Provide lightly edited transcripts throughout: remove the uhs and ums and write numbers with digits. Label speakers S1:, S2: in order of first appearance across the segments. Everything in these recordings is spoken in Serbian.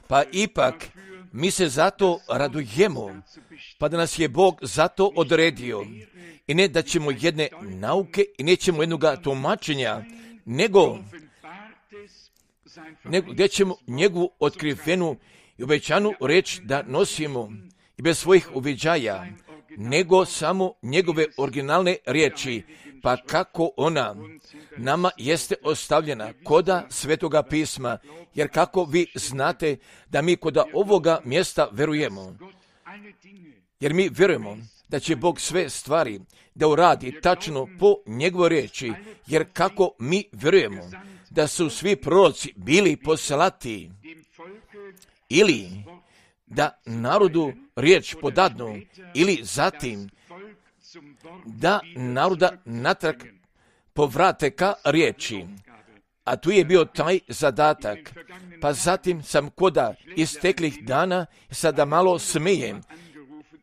S1: Pa ipak mi se zato radujemo, pa da nas je Bog zato odredio. I ne da ćemo jedne nauke i nećemo jednoga tumačenja, nego gdje ćemo njegovu otkrivenu i obećanu reč da nosimo i bez svojih uviđaja, nego samo njegove originalne riječi, pa kako ona nama jeste ostavljena koda Svetoga pisma, jer kako vi znate da mi koda ovoga mjesta verujemo, jer mi vjerujemo da će Bog sve stvari da uradi tačno po njegovoj riječi, jer kako mi vjerujemo da su svi proroci bili poslati ili da narodu riječ podadnu ili zatim da naroda natrag povrate ka riječi. A tu je bio taj zadatak. Pa zatim sam koda isteklih dana, sada malo smijem,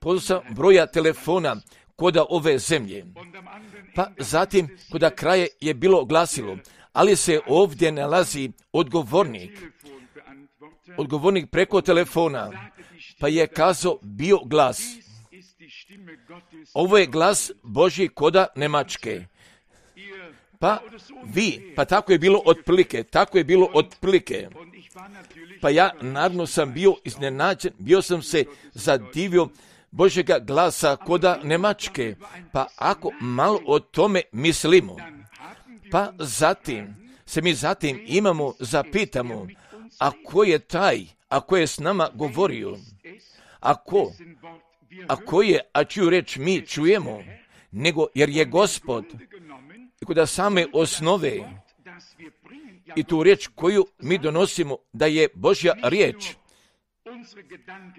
S1: pozvao sam broja telefona koda ove zemlje. Pa zatim koda kraje je bilo glasilo, ali se ovdje nalazi odgovornik preko telefona, pa je kazao bio glas. Ovo je glas Božji koda Nemačke. Pa tako je bilo otprilike. Pa ja naravno sam bio iznenađen, bio sam se zadivio Božjega glasa koda Nemačke. Pa ako malo o tome mislimo, pa zatim imamo, zapitamo, a ko je taj, a ko je s nama govorio, a čiju reč mi čujemo, nego jer je Gospod i kod same osnove i tu riječ koju mi donosimo da je Božja riječ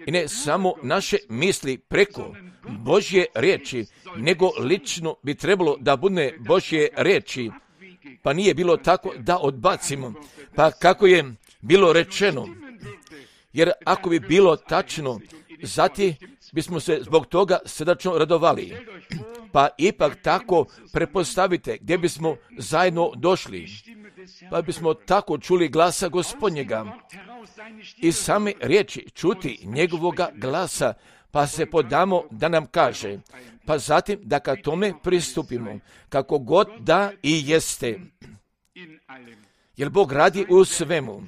S1: i ne samo naše misli preko Božje riječi, nego lično bi trebalo da bude Božje riječi, pa nije bilo tako da odbacimo, pa kako je bilo rečeno, jer ako bi bilo tačno, zatim bismo se zbog toga srdačno radovali. Pa ipak tako prepostavite gdje bismo zajedno došli, pa bismo tako čuli glasa Gospodnjega i same riječi čuti njegovoga glasa, pa se podamo da nam kaže, pa zatim da ka tome pristupimo, kako god da i jeste. Jer Bog radi u svemu.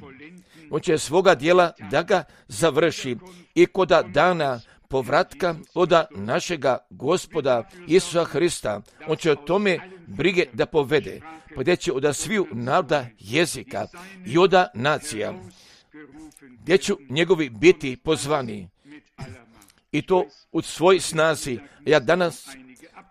S1: On će svoga dijela da ga završi i koda dana povratka od našega Gospoda Isusa Hrista. On će o tome brige da povede, pa gdje će od sviju naroda, jezika i od nacija, gdje će njegovi biti pozvani. I to u svoj snazi. Ja danas,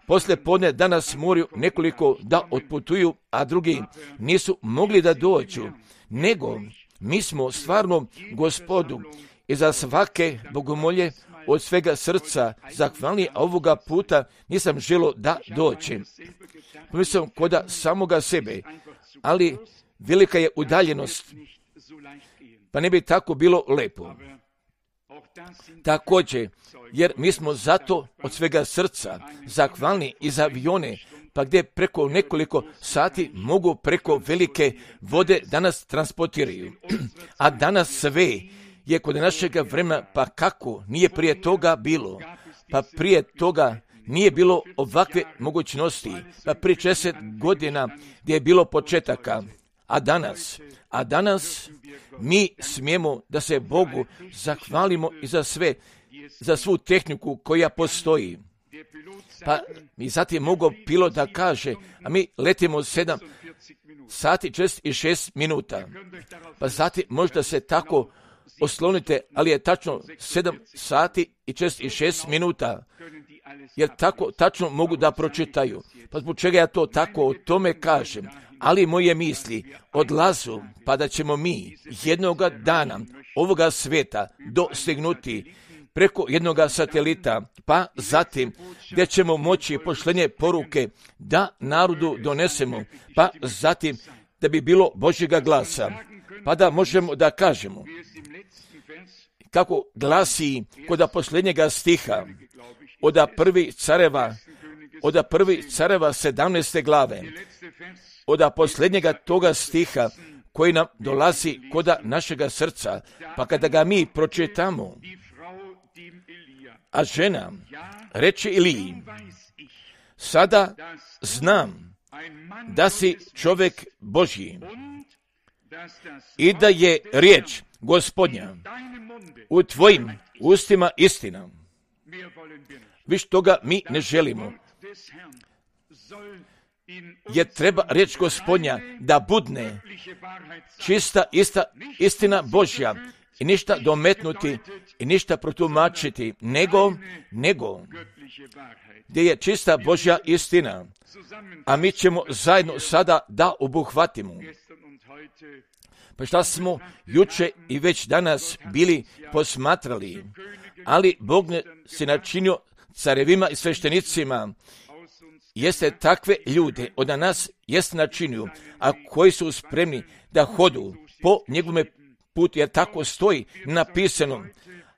S1: poslije podne, danas moraju nekoliko da otputuju, a drugi nisu mogli da dođu, nego mi smo stvarno Gospodu i za svake bogomolje od svega srca zahvalni, a ovoga puta nisam želio da dođem. Pomislio koda samoga sebe, ali velika je udaljenost, pa ne bi tako bilo lepo. Također, jer mi smo zato od svega srca zahvalni i za avione, pa gdje preko nekoliko sati mogu preko velike vode danas transportiraju. A danas sve je kod našega vremena, pa kako nije prije toga bilo? Pa prije toga nije bilo ovakve mogućnosti, pa prije 60 godina gdje je bilo početaka. A danas mi smijemo da se Bogu zahvalimo i za svu tehniku koja postoji. Pa i zatim mogu pilot da kaže, a mi letimo 7 sati 46 minuta. Pa zatim možda se tako oslonite, ali je tačno 7 sati i 46 minuta. Jer tako tačno mogu da pročitaju. Pa zbog čega ja to tako o tome kažem? Ali moje misli odlazu, pa da ćemo mi jednoga dana ovoga sveta dostignuti preko jednoga satelita, pa zatim gdje ćemo moći pošlenje poruke da narodu donesemo, pa zatim da bi bilo Božjega glasa, pa da možemo da kažemo kako glasi kod posljednjega stiha od prvih careva 17. glave, od posljednjega toga stiha koji nam dolazi koda našega srca, pa kada ga mi pročitamo, a žena reče Iliji, sada znam da si čovjek Božji i da je riječ Gospodnja u tvojim ustima istina. Viš toga mi ne želimo. Jer treba riječ Gospodnja da budne čista istina Božja i ništa dometnuti i ništa protumačiti, nego gdje je čista Božja istina. A mi ćemo zajedno sada da obuhvatimo. Pa šta smo juče i već danas bili posmatrali, ali Bog se načinio carevima i sveštenicima, jeste takve ljude od nas jeste načinio, a koji su spremni da hodu po njegovome putu, jer tako stoji napisano,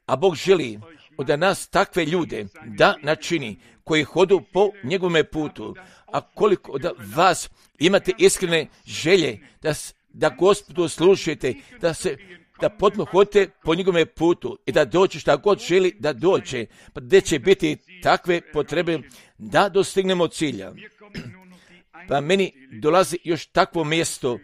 S1: a Bog želi od nas takve ljude da načini koji hodu po njegovome putu. A koliko od vas imate iskrene želje da Gospodu slušate, da potpuno hodite po njegovome putu i da dođe šta god želi da dođe, pa gdje će biti takve potrebe da dostignemo cilja. Pa meni dolazi još takvo mjesto,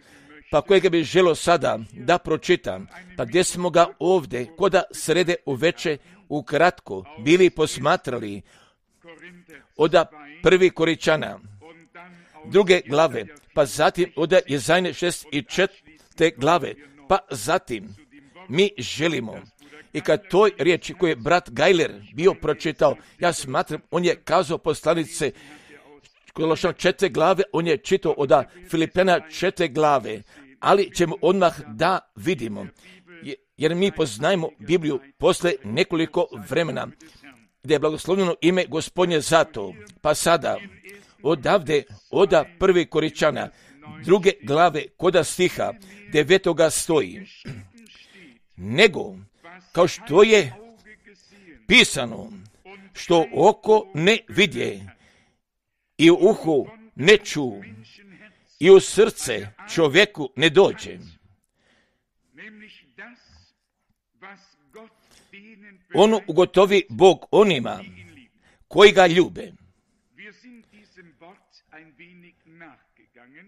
S1: pa kojega bi želio sada da pročitam, pa gdje smo ga ovdje, koda srede uveče ukratko bili posmatrali od 1. Korinčana, 2. glave, pa zatim od Jezajne 6. i 4. glave, pa zatim mi želimo. I kad toj riječi koju je brat Gajler bio pročitao, ja smatram, on je kazao poslanice Kološan 4. glave, on je čitao od Filipljana 4. glave, ali ćemo odmah da vidimo, jer mi poznajemo Bibliju posle nekoliko vremena, gdje je blagoslovljeno ime Gospodnje zato. Pa sada, odavde, od 1. Korinčana, 2. glave, koda stiha 9. stoji, nego, kao što je pisano, što oko ne vidje i u uhu ne ču i u srce čovjeku ne dođe. Ono ugotovi Bog onima koji ga ljube.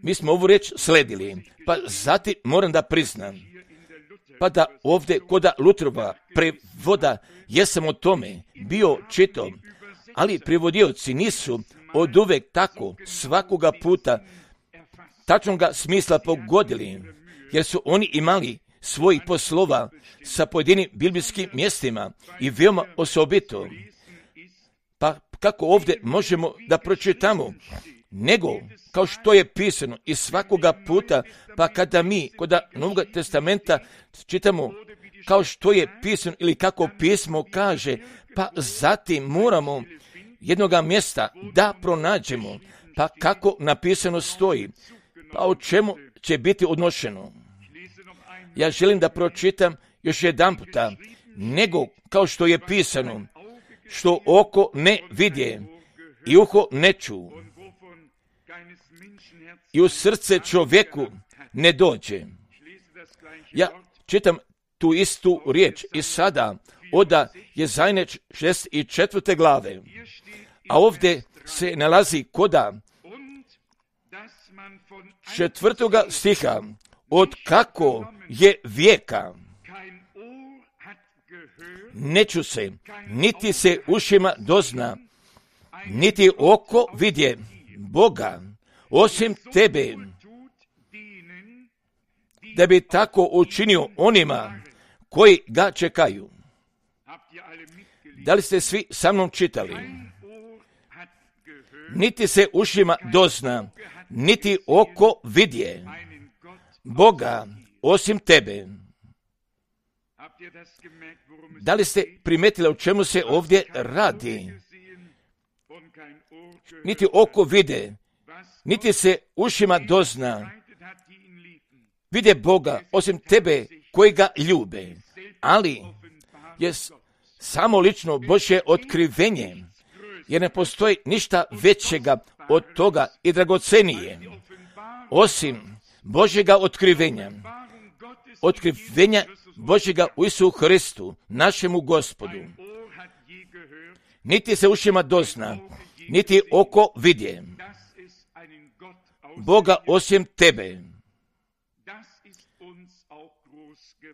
S1: Mi smo ovu riječ sledili, pa zatim moram da priznam, pa da ovdje koda Lutrova prevoda jesam o tome bio čitao, ali prevodioci nisu od uvek tako svakoga puta tačnoga smisla pogodili, jer su oni imali svojih poslova sa pojedinim biblijskim mjestima i veoma osobito. Pa kako ovdje možemo da pročitamo, nego kao što je pisano i svakoga puta, pa kada mi kod Novog testamenta čitamo kao što je pisano ili kako pismo kaže, pa zatim moramo jednoga mjesta da pronađemo, pa kako napisano stoji, pa o čemu će biti odnošeno. Ja želim da pročitam još jedan puta, nego kao što je pisano, što oko ne vidje i uho ne ču i u srce čovjeku ne dođe. Ja čitam tu istu riječ i sada od Jezajne 6. i 4. glave, a ovdje se nalazi koda 4. stiha, od kako je vijeka ne ču se, niti se ušima dozna, niti oko vidje Boga, osim tebe, da bi tako učinio onima koji ga čekaju. Da li ste svi sa mnom čitali? Niti se ušima dozna, niti oko vidje Boga, osim tebe. Da li ste primetili o čemu se ovdje radi? Niti oko vide, niti se ušima dozna, vide Boga, osim tebe koji ga ljube. Ali je samo lično Božje otkrivenje, jer ne postoji ništa većega od toga i dragocenije, osim Božjega otkrivenja Božjega u Isusu Hristu, našemu Gospodu. Niti se ušima dozna, niti oko vidje Boga osim tebe.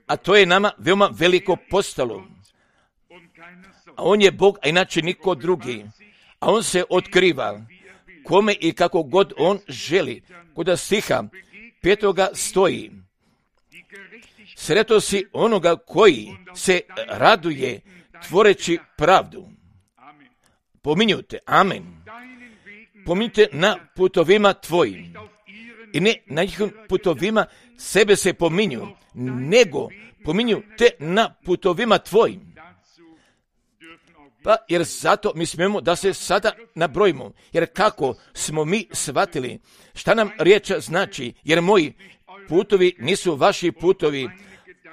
S1: A to je nama veoma veliko postalo. A on je Bog, a inače niko drugi. A on se otkriva kome i kako god on želi. Kod stiha 5. stoji: sreto si onoga koji se raduje tvoreći pravdu. Pominjute, amen. Pominjute na putovima tvojim. I ne na njihovim putovima sebe se pominju, nego pominju te na putovima tvojim. Pa jer zato mi smijemo da se sada nabrojimo, jer kako smo mi shvatili šta nam riječ znači, jer moji putovi nisu vaši putovi,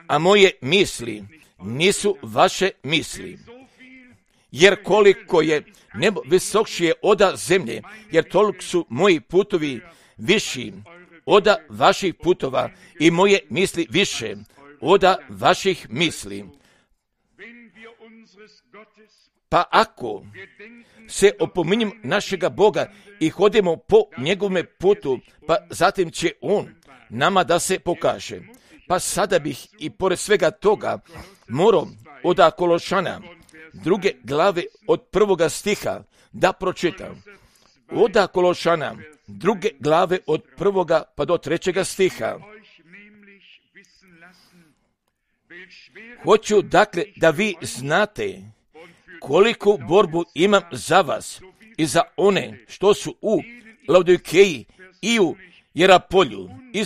S1: a moje misli nisu vaše misli. Jer koliko je nebo visokšije oda zemlje, jer toliko su moji putovi viši oda vaših putova i moje misli više oda vaših misli. Pa ako se opominjem našega Boga i hodimo po njegovome putu, pa zatim će on nama da se pokaže. Pa sada bih i pored svega toga morao od Kološana 2. glave od 1. stiha da pročitam. Od Kološana 2. glave od 1. pa do 3. stiha. Hoću dakle da vi znate koliku borbu imam za vas i za one što su u Laodikeji i u Jerapolju i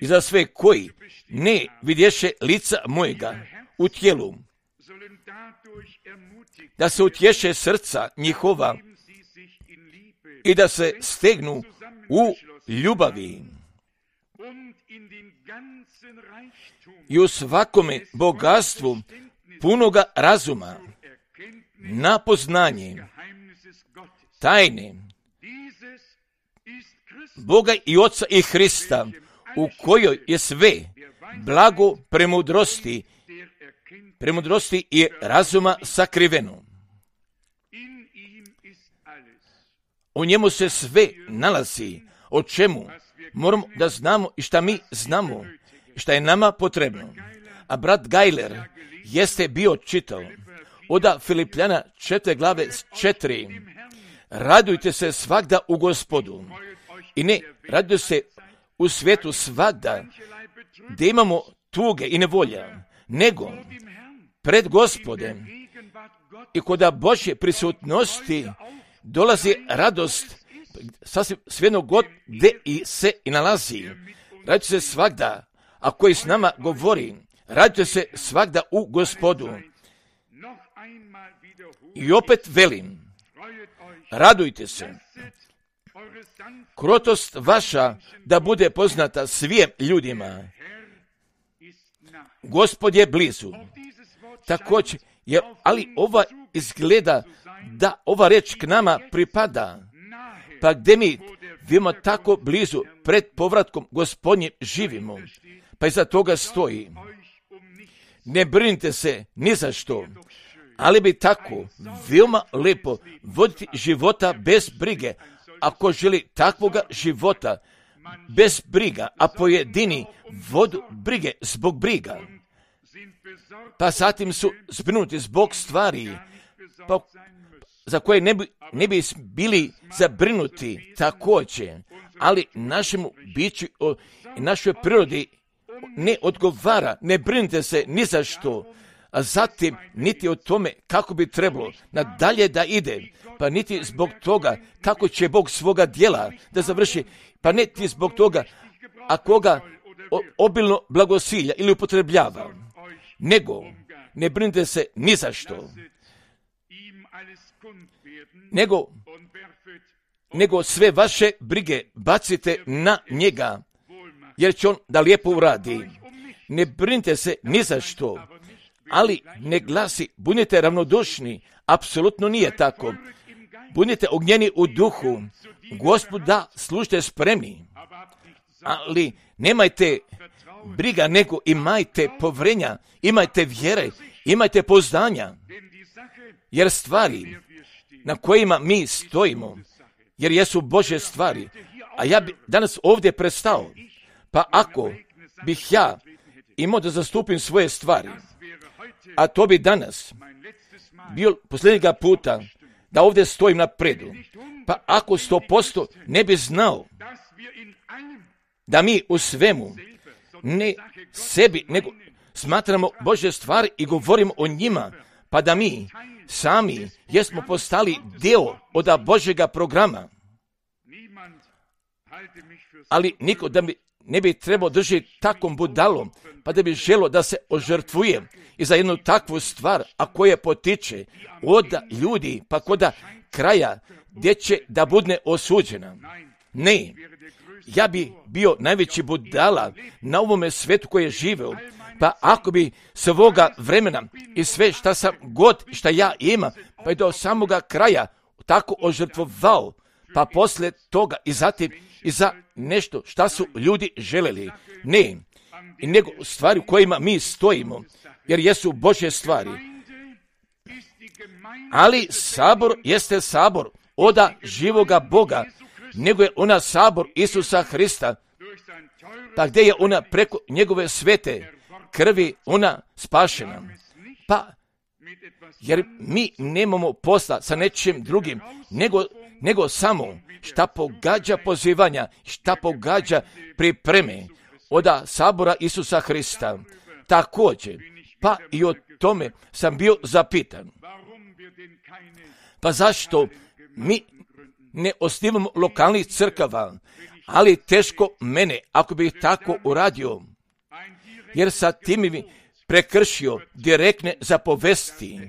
S1: za sve koji ne vidješe lica mojega u tijelu, da se utješe srca njihova i da se stegnu u ljubavi i u svakome bogatstvu punoga razuma na poznanje tajne Boga i Oca i Hrista, u kojoj je sve blago premudrosti i razuma sakriveno. U njemu se sve nalazi, o čemu moramo da znamo i šta mi znamo, šta je nama potrebno. A brat Gajler jeste bio čitao od Filipljana 4. glave 4. Radujte se svagda u Gospodu. I ne radujte se u svijetu svagda, da imamo tuge i nevolja, nego pred Gospodem i kod Božje prisutnosti dolazi radost, sasvim svejedno god gde i se i nalazi. Radujte se svagda, a koji s nama govori, radujte se svagda u Gospodu. I opet velim, radujte se. Krotost vaša da bude poznata svim ljudima. Gospod je blizu. Također, ali ova izgleda da ova reč k nama pripada. Pa gdje mi vidimo tako blizu pred povratkom Gospodnjim živimo, pa iza toga stoji. Ne brinite se ni za što, ali bi tako veoma lepo voditi života bez brige. Ako želi takvoga života bez briga, a pojedini vodu brige zbog briga, pa zatim su zbrinuti zbog stvari za koje ne bi bili zabrinuti također, ali našemu biću i našoj prirodi ne odgovara, ne brinite se ni za što, a zatim niti o tome kako bi trebalo nadalje da ide, pa niti zbog toga kako će Bog svoga djela da završi, pa niti zbog toga a koga obilno blagosilja ili upotrebljava, nego ne brinite se ni za što, nego sve vaše brige bacite na njega, jer će on da lijepo uradi. Ne brinite se ni za što, ali ne glasi, budite ravnodušni, apsolutno nije tako. Budite ognjeni u duhu, Gospodu da služite spremni, ali nemajte briga, nego imajte povjerenja, imajte vjere, imajte pouzdanja, jer stvari na kojima mi stojimo, jer jesu Božje stvari, a ja bi danas ovdje prestao, pa ako bih ja imao da zastupim svoje stvari, a to bi danas bio posljednjega puta da ovdje stojim na predu, pa ako 100% ne bi znao da mi u svemu ne sebi, nego smatramo Božje stvari i govorimo o njima, pa da mi sami jesmo postali dio od Božjega programa. Ali niko da mi ne bi trebao držati takvom budalom, pa da bi želo da se ožrtvuje i za jednu takvu stvar, a koja potiče od ljudi, pa koda kraja gdje će da bude osuđena. Ne, ja bi bio najveći budala na ovome svetu koji je živeo, pa ako bi svoga vremena i sve šta sam god, šta ja imam, pa i do samoga kraja tako ožrtvovao, pa poslije toga i zatim i za nešto šta su ljudi želeli. Ne, i nego stvari u kojima mi stojimo, jer jesu Božje stvari. Ali sabor jeste sabor oda živoga Boga, nego je ona sabor Isusa Hrista, pa gdje je ona preko njegove svete krvi ona spašena. Pa, jer mi nemamo posla sa nečim drugim, nego samo šta pogađa pozivanja, šta pogađa pripreme oda sabora Isusa Hrista. Također, pa i o tome sam bio zapitan. Pa zašto mi ne osnivamo lokalnih crkava, ali teško mene ako bih tako uradio, jer sa tim mi prekršio direktne zapovesti,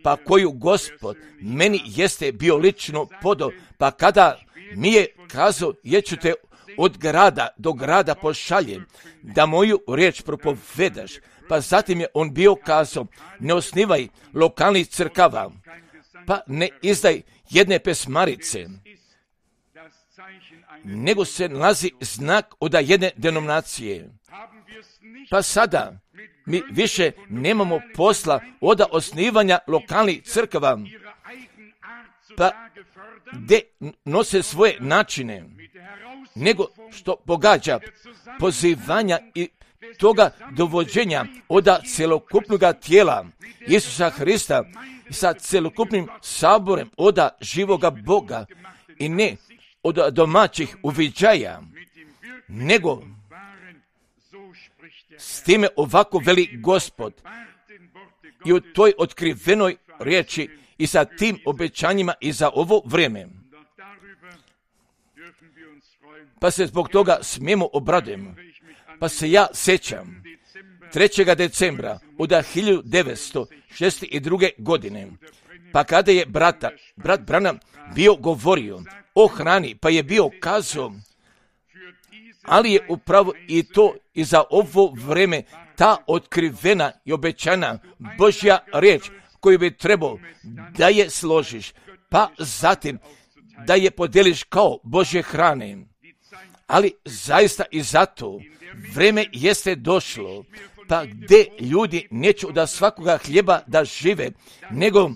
S1: pa koju Gospod meni jeste bio lično podao, pa kada mi je kazao, jer ću te od grada do grada pošaljem, da moju riječ propovedaš, pa zatim je on bio kazao, ne osnivaj lokalnih crkava, pa ne izdaj jedne pesmarice, nego se nalazi znak od jedne denominacije. Pa sada mi više nemamo posla od osnivanja lokalnih crkava, pa gdje nose svoje načine, nego što pogađa pozivanja i toga dovođenja od celokupnog tijela Isusa Hrista sa celokupnim saborem od živoga Boga i ne od domaćih uviđaja, nego s time ovako veli Gospod i u toj otkrivenoj riječi i sa tim obećanjima i za ovo vrijeme. Pa se zbog toga smijemo obradujemo. Pa se ja sjećam 3. decembra od 1962. godine, pa kada je brat Branham bio govorio o hrani, pa je bio kazao, ali je upravo i to i za ovo vrijeme ta otkrivena i obećana Božja riječ koju bi trebao da je složiš, pa zatim da je podeliš kao Božje hrane. Ali zaista i zato vrijeme jeste došlo, pa gdje ljudi neće od svakoga hljeba da žive, nego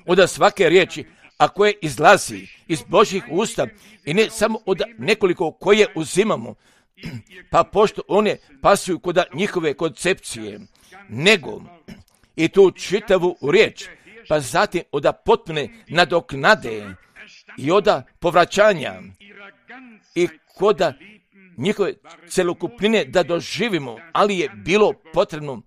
S1: od svake riječi, a koje izlazi iz Božjih usta i ne samo od nekoliko koje uzimamo, pa pošto one pasuju kod njihove koncepcije, nego i tu čitavu riječ, pa zatim od potpune nadoknade i od povraćanja i kod njihove celokupnine da doživimo, ali je bilo potrebno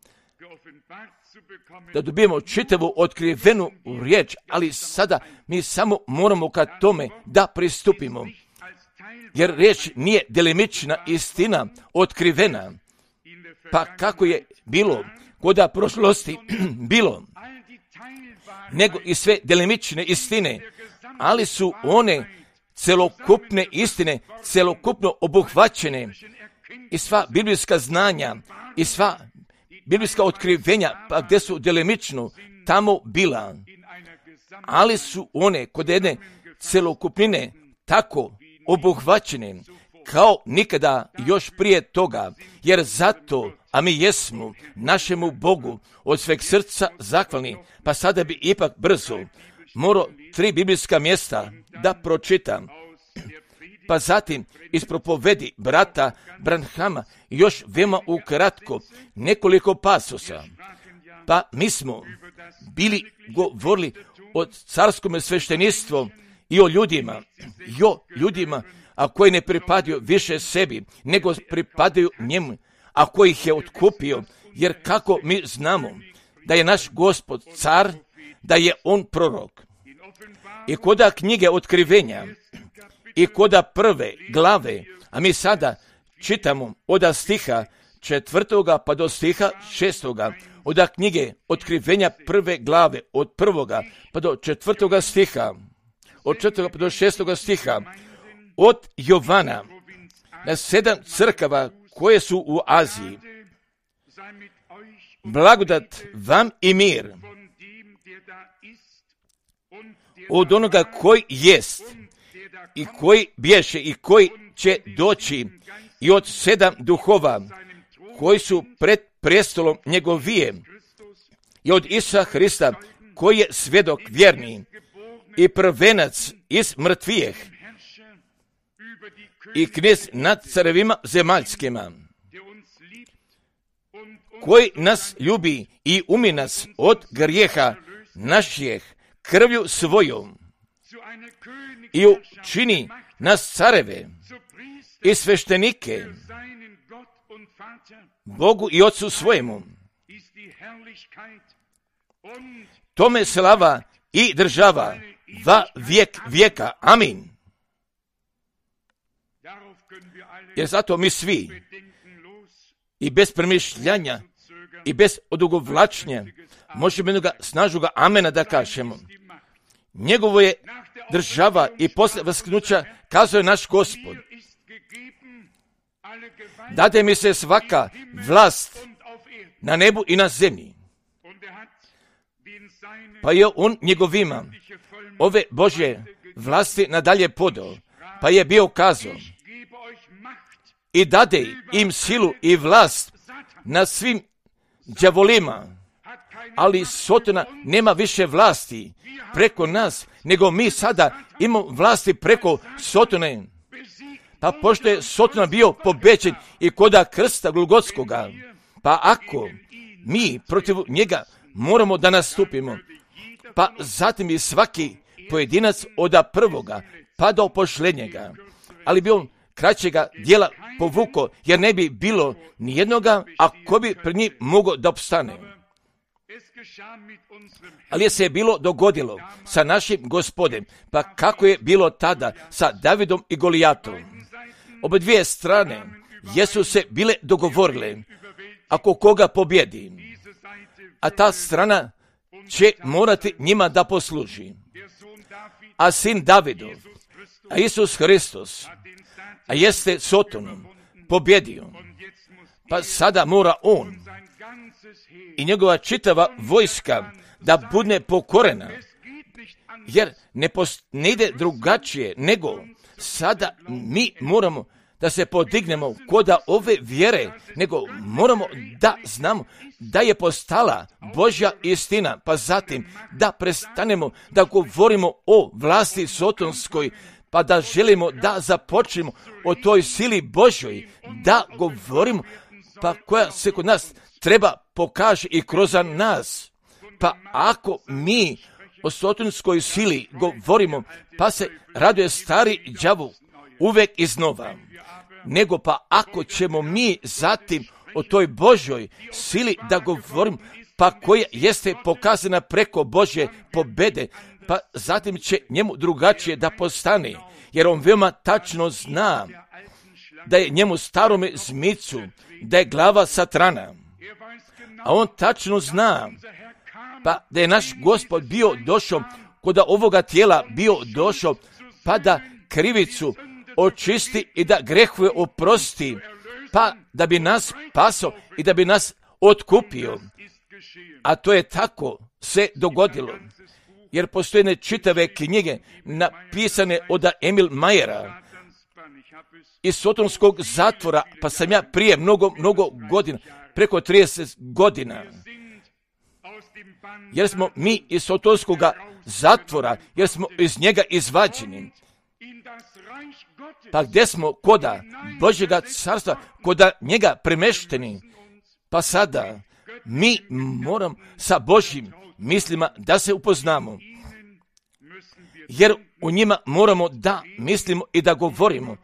S1: da dobijemo čitavu otkrivenu riječ, ali sada mi samo moramo ka tome da pristupimo, jer riječ nije delimična istina otkrivena, pa kako je bilo kod prošlosti bilo, nego i sve delimične istine, ali su one celokupne istine, celokupno obuhvaćene i sva biblijska znanja i sva biblijska otkrivenja, pa gdje su delimično tamo bila, ali su one kod jedne celokupnine tako obuhvaćene kao nikada još prije toga, jer zato, a mi jesmo našemu Bogu od sveg srca zahvalni, pa sada bi ipak brzo morao 3 biblijska mjesta da pročitam. Pa zatim iz propovedi brata Branhama još veoma ukratko nekoliko pasosa. Pa mi smo bili govorili o carskom svešteništvu i o ljudima, a koji ne pripadaju više sebi, nego pripadaju njemu, a koji ih je otkupio, jer kako mi znamo da je naš Gospod car, da je on prorok. I koda knjige Otkrivenja, i koda 1. glave, a mi sada čitamo od stiha 4. pa do stiha 6. od knjige Otkrivenja 1. glave, od 1. pa do 4. stiha, od 4. pa do 6. stiha, od Jovana na 7 crkava koje su u Aziji. Blagodat vam i mir od onoga koji jest i koji bješe i koji će doći i od 7 duhova koji su pred prestolom njegovije i od Isusa Hrista koji je svjedok vjerni i prvenac iz mrtvijeh i knez nad carevima zemaljskima, koji nas ljubi i umi nas od grijeha naših krvlju svojom i učini nas careve i sveštenike Bogu i Otcu svojemu. Tome slava i država va vijek vijeka. Amin. Jer zato mi svi i bez premišljanja i bez odugovlačnja možemo jednoga snažnoga amena da kažemo. Njegovo je država i posle vasknuća, kazao je naš Gospod, dade mi se svaka vlast na nebu i na zemlji. Pa je on njegovima ove Božje vlasti nadalje podao, pa je bio kazao i dade im silu i vlast na svim đavolima, ali Sotona nema više vlasti preko nas, nego mi sada imamo vlasti preko Sotone. Pa pošto je Sotona bio pobeđen i koda krsta Golgotskoga, pa ako mi protiv njega moramo da nastupimo, pa zatim i svaki pojedinac od prvoga pa do pošlednjega, ali bi on kraćega dijela povuko, jer ne bi bilo ni jednoga, a ko bi pred njim mogao da opstane. Ali je se bilo dogodilo sa našim Gospodem, pa kako je bilo tada sa Davidom i Golijatom. Obe dvije strane jesu se bile dogovorile, ako koga pobjedi, a ta strana će morati njima da posluži. A sin Davidov, a Isus Hristos, a jeste Sotonom pobjedio, pa sada mora on i njegova čitava vojska da bude pokorena, jer ne ide drugačije nego sada mi moramo da se podignemo koda ove vjere, nego moramo da znamo da je postala Božja istina, pa zatim da prestanemo da govorimo o vlasti sotonskoj, pa da želimo da započnemo o toj sili Božjoj, da govorimo, pa koja se kod nas treba pokaže i kroz nas. Pa ako mi o sotonskoj sili govorimo, pa se raduje stari đavo uvek iznova, nego pa ako ćemo mi zatim o toj Božjoj sili da govorimo, pa koja jeste pokazana preko Božje pobede, pa zatim će njemu drugačije da postane, jer on veoma tačno zna da je njemu starome zmicu, da je glava Satrana, a on tačno zna pa da je naš Gospod bio došao, kod ovoga tijela bio došao, pa da krivicu očisti i da grehove oprosti, pa da bi nas spasao i da bi nas otkupio. A to je tako se dogodilo, jer postoje čitave knjige napisane od Emil Majera, iz sotonskog zatvora, pa sam ja prije mnogo godina, preko 30 godina, jer smo mi iz sotonskog zatvora, jer smo iz njega izvađeni. Pa gdje smo koda Božjega carstva, koda njega premešteni, pa sada mi moram sa Božjim mislima da se upoznamo, jer u njima moramo da mislimo i da govorimo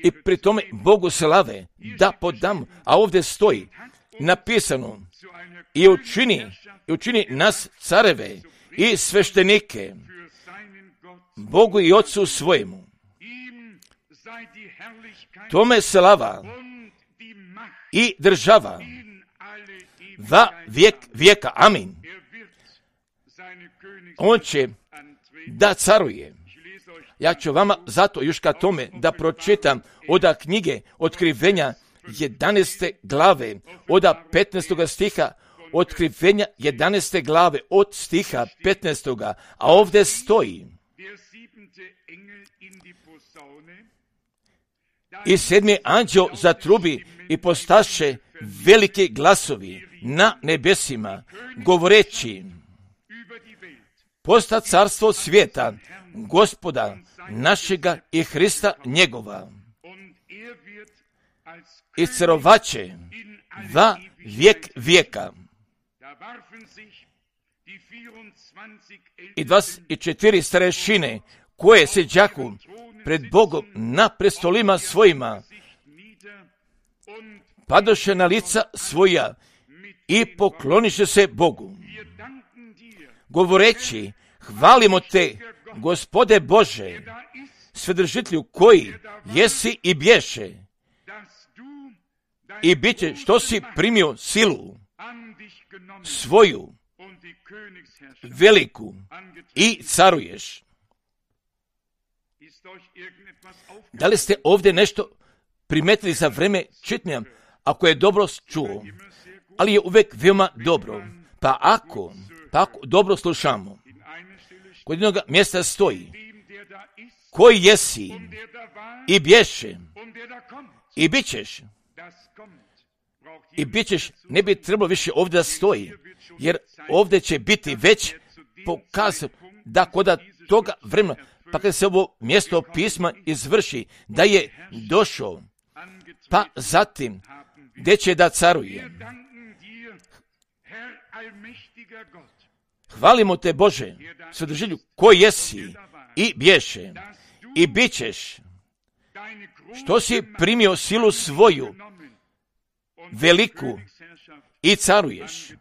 S1: i pri tome Bogu slave da podamo. A ovdje stoji napisano i učini nas careve i sveštenike Bogu i Otcu svojemu. Tome slava i država va vijek vijeka. Amin. On će da caruje. Ja ću vama zato još ka tome da pročitam od knjige Otkrivenja 11. glave, od 15. stiha, Otkrivenja 11. glave, od stiha 15. A ovdje stoji: i sedmi anđeo zatrubi i postaše veliki glasovi na nebesima, govoreći: posta carstvo svijeta, Gospoda našega i Hrista njegova, i carovaće va vijek vijeka. I 24 starešine koje se đaku pred Bogom na prestolima svojima, padoše na lica svoja i pokloniše se Bogu, govoreći: hvalimo te, Gospode Bože, Svedržitelju koji jesi i bješe, i bit će što si primio silu svoju veliku i caruješ. Da li ste ovdje nešto primetili za vreme čitanja? Ako je dobro čuo, ali je uvijek veoma dobro. Pa ako dobro slušamo, kod jednog mjesta stoji: koji jesi i bješe i bit ćeš. I bit ćeš ne bi trebalo više ovdje da stoji, jer ovdje će biti već pokazano da kod toga vremena, pa kad se ovo mjesto pisma izvrši, da je došao, pa zatim gdje će da caruje. Hvalimo te, Bože, Svedržitelju koji jesi i bješe i bit ćeš, što si primio silu svoju veliku i caruješ.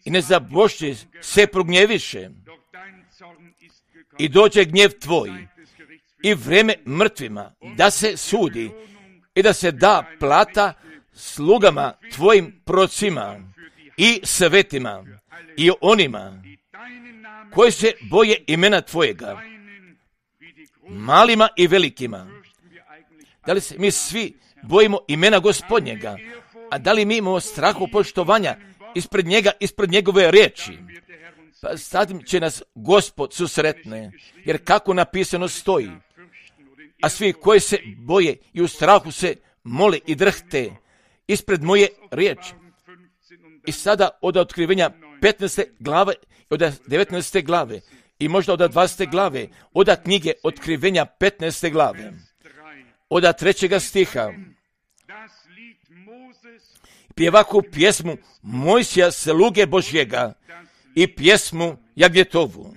S1: I ne zabošće se prognjeviše i dođe gnjev tvoj i vreme mrtvima da se sudi i da se da plata slugama tvojim procima i svetima i onima koji se boje imena tvojega, malima i velikima. Da li se mi svi bojimo imena Gospodnjega? A da li mi imamo strahu poštovanja ispred njega, ispred njegove riječi? Pa zatim će nas Gospod susretne, jer kako napisano stoji: a svi koji se boje i u strahu se mole i drhte ispred moje riječi. I sada od Otkrivenja 15. glave, od 19. glave i možda od 20. glave, od knjige Otkrivenja 15. glave, od 3. stiha, pjevaku pjesmu Mojsija sluge Božjega i pjesmu Jagnjetovu,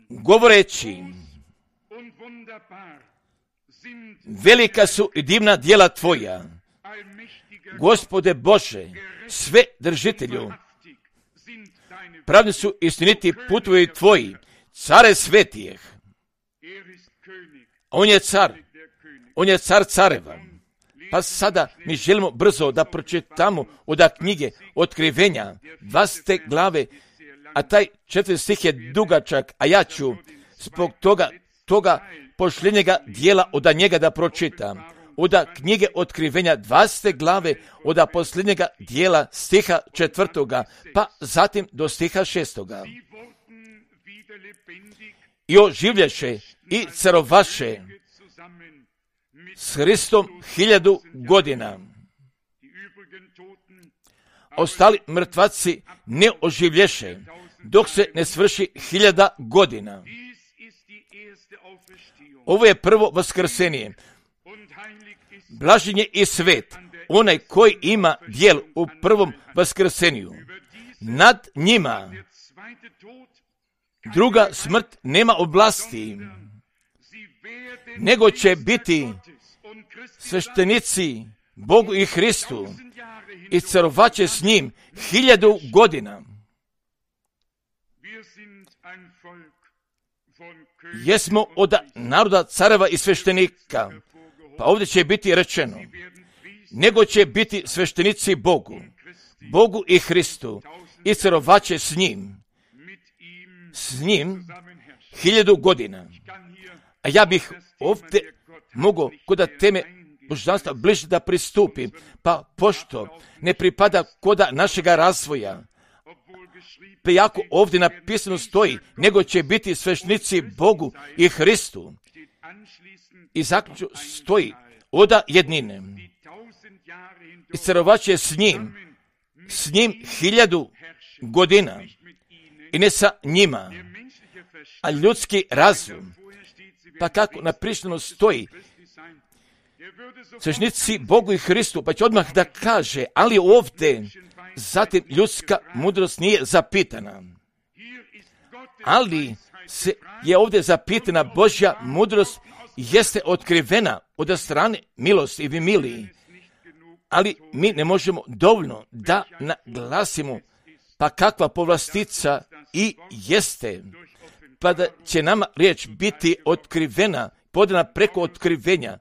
S1: govoreći: velika su i divna djela tvoja, Gospode Bože, sve držitelju, pravni su istiniti putovi tvoji, care svetijeh. On je car careva. Pa sada mi želimo brzo da pročitamo od knjige Otkrivenja 20. glave, a taj 4. stih je dugačak, a ja ću zbog toga pošljenjega dijela od njega da pročitam. Od knjige Otkrivenja 20. glave, od posljednjega dijela stiha 4. pa zatim do stiha 6. i oživljaše i carovaše s Hristom 1000 godina. Ostali mrtvaci ne oživlješe, dok se ne svrši 1000 godina. Ovo je prvo vaskrsenje. Blažen je i svet, onaj koji ima djel u prvom vaskrsenju. Nad njima druga smrt nema oblasti, nego će biti sveštenici Bogu i Hristu i carovaće s njim 1000 godina. Jesmo od naroda careva i sveštenika, pa ovdje će biti rečeno, nego će biti sveštenici Bogu i Hristu i carovaće s njim 1000 godina. A ja bih ovdje mogao kod teme božanstva bliže da pristupim, pa pošto ne pripada kod našega razvoja, prijako ovdje napisano stoji, nego će biti sveštenici Bogu i Hristu. I zaključno stoji oda jednine. I carovaće s njim 1000 godina. I ne sa njima, a ljudski razum. Pa kako napisano stoji, sveštenici Bogu i Hristu, pa će odmah da kaže, ali ovdje zatim ljudska mudrost nije zapitana. Ali se je ovdje zapitana Božja mudrost, jeste otkrivena od strane milosti i miliji. Ali mi ne možemo dovoljno da naglasimo, pa kakva povlastica i jeste, pa da će nama riječ biti otkrivena, podana preko otkrivenja.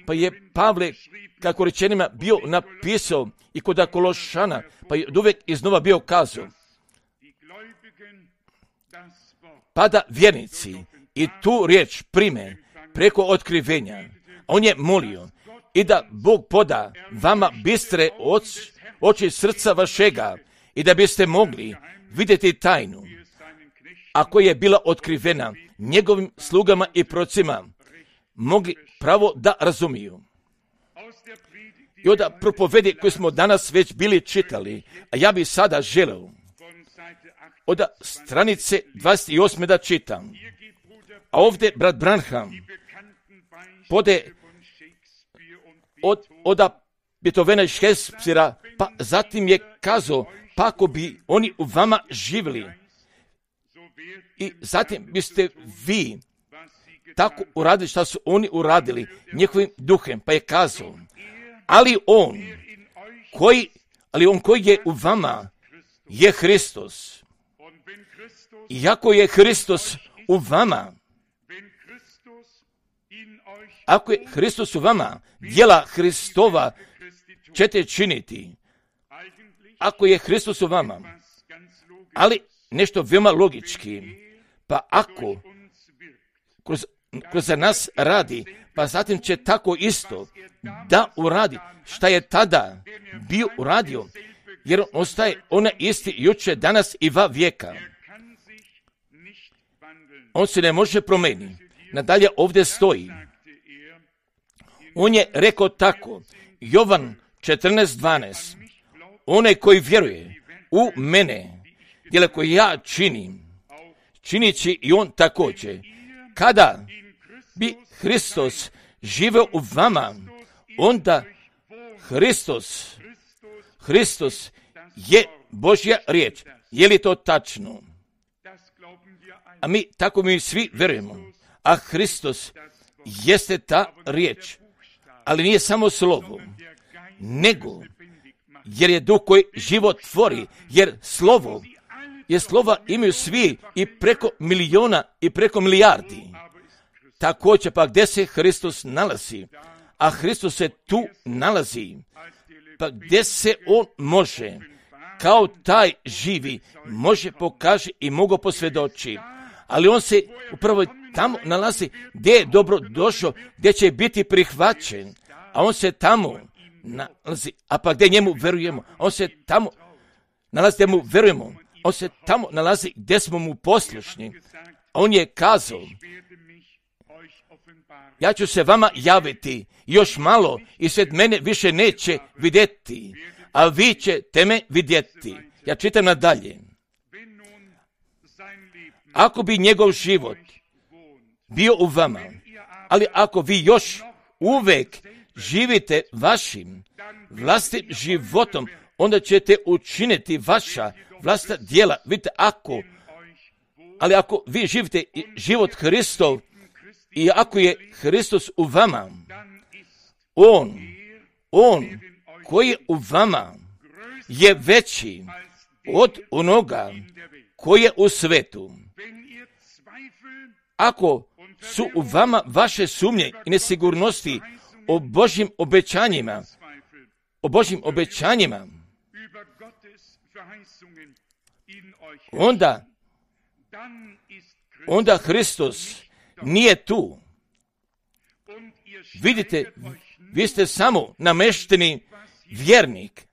S1: Pa je Pavle, kako rečenima, bio napisao i kod Kološana, pa je uvijek iznova bio kazao, pa da vjernici i tu riječ prime preko otkrivenja. On je molio i da Bog poda vama bistre oči srca vašega i da biste mogli vidjeti tajnu, ako je bila otkrivena njegovim slugama i procima, mogli pravo da razumiju. I od propovedi koje smo danas već bili čitali, a ja bih sada želeo od stranice 28. da čitam. A ovdje brat Branham pode od Beethovena i Shakespearea, pa zatim je kazao, pa ako bi oni u vama živjeli, i zatim biste vi tako uradili što su oni uradili njihovim duhem, pa je kazao, ali on koji je u vama je Hristos. Iako je Hristos u vama, ako je Hristos u vama, djela Hristova ćete činiti. Ako je Hristos u vama, ali nešto veoma logički, pa ako kroz nas radi, pa zatim će tako isto da uradi šta je tada bio uradio, jer on ostaje ona isti juče, danas i va vijeka. On se ne može promijeniti. Nadalje ovdje stoji. On je rekao tako, Jovan 14:12, onaj koji vjeruje u mene, djela koje ja činim, činit će i on također. Kada bi Hristos živeo u vama, onda Hristos je Božja riječ. Je li to tačno? A mi svi vjerujemo. A Hristos jeste ta riječ. Ali nije samo slovo, nego jer je duh koji život tvori, jer slova imaju svi i preko miliona i preko milijardi. Također pa gdje se Hristos nalazi, a Hristos se tu nalazi, pa gdje se on može, kao taj živi, može pokaže i mogu posvjedoči, ali on se upravo tamo nalazi gdje je dobro došao, gdje će biti prihvaćen, a on se tamo nalazi, a pa gdje njemu verujemo, on se tamo nalazi gdje mu verujemo, on se tamo nalazi gdje smo mu poslušni, A on je kazao, ja ću se vama javiti još malo i svijet mene više neće vidjeti, a vi ćete me vidjeti. Ja čitam nadalje. Ako bi njegov život bio u vama, ali ako vi još uvek živite vašim vlastitim životom, onda ćete učiniti vaša vlastita djela. Vidite, ako vi živite život Hristov i ako je Hristos u vama, on koji je u vama je veći od onoga koji je u svetu. Ako su u vama vaše sumnje i nesigurnosti o Božjim obećanjima, onda Hristos nije tu. Vidite, vi ste samo namešteni vjernik.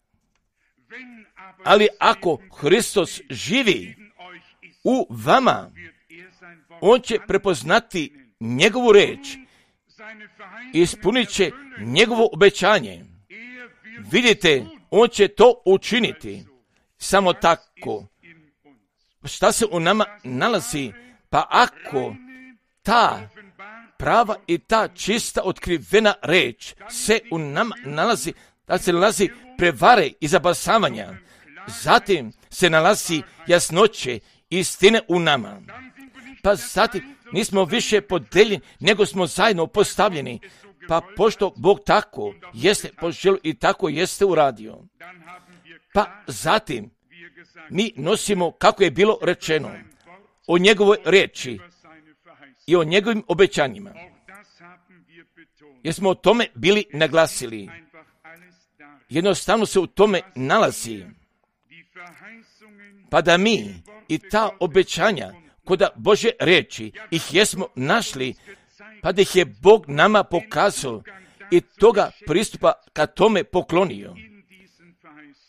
S1: Ali ako Hristos živi u vama, on će prepoznati njegovu reč i ispunit će njegovo obećanje. Vidite, on će to učiniti. Samo tako. Šta se u nama nalazi? Pa ako ta prava i ta čista otkrivena reč se u nama nalazi, da se nalazi prevare i zabasavanja, zatim se nalazi jasnoće istine u nama. Pa zatim nismo više podeljeni, nego smo zajedno postavljeni. Pa pošto Bog tako jeste poželio i tako jeste uradio, pa zatim mi nosimo, kako je bilo rečeno, o njegovoj reči i o njegovim obećanjima. Jer smo o tome bili naglasili. Jednostavno se u tome nalazi. Pa da mi i ta obećanja kod Božje reči ih jesmo našli, pa da ih je Bog nama pokazao i toga pristupa ka tome poklonio.